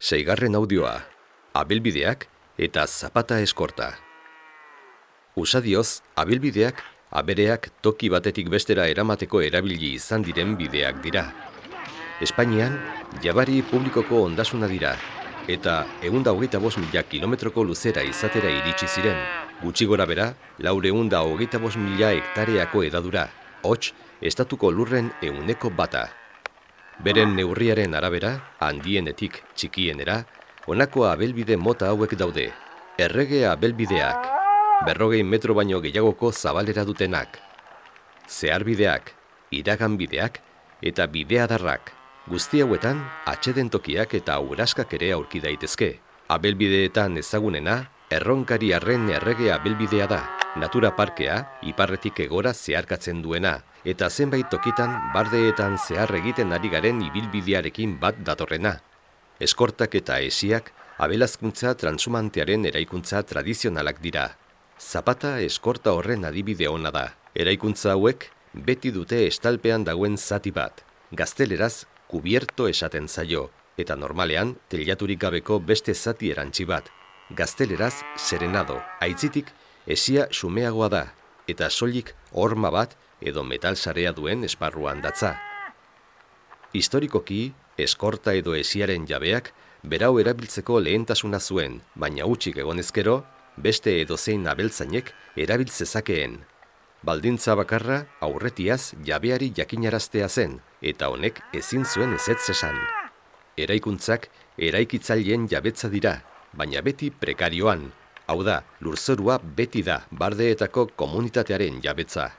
Seigarren audioa, abilbideak eta zapata eskorta. Usadioz, abilbideak, abereak toki batetik bestera eramateko erabili izan diren bideak dira. Espainian, jabari publikoko ondasuna dira, eta 125.000 kilometroko luzera izatera iritsi ziren, gutxi gora bera, 425.000 hektareako edadura, hots, estatuko lurren 100%. Beren neurriaren arabera, handienetik txikienera, honako abelbide mota hauek daude. Errege abelbideak, 40 metro baino gehiagoko zabalera dutenak. Zeharbideak, iraganbideak eta bideadarrak. Guzti hauetan, atseden tokiak eta uraskak ere aurki daitezke. Abelbideetan ezagunena, Erronkariarren errege abelbidea da. Natura parkea, iparretik egora zeharkatzen duena, eta zenbait tokitan bardeetan zehar egiten ari garen ibilbidearekin bat datorrena. Eskortak eta hesiak abelazkuntza transhumantearen eraikuntza tradizionalak dira. Zapata eskorta horren adibide ona da. Eraikuntza hauek beti dute estalpean dagoen zati bat. Gazteleraz kubierto esaten zaio, eta normalean teilaturik gabeko beste zati erantzi bat. Gazteleraz serenado, aitzitik hesia xumeagoa da, eta soilik horma bat edo metal sarea duen esparruan datza. Historikoki, eskorta edo hesiaren jabeak berau erabiltzeko lehentasuna zuen, baina hutsik egonezkero, beste edozein abeltzainek erabiltzezakeen. Baldintza bakarra aurretiaz jabeari jakinaraztea zen, eta honek ezin zuen ezetz esan. Eraikuntzak eraikitzaileen jabetza dira, baina beti prekarioan. Hau da, lurzorua beti da bardeetako komunitatearen jabetza.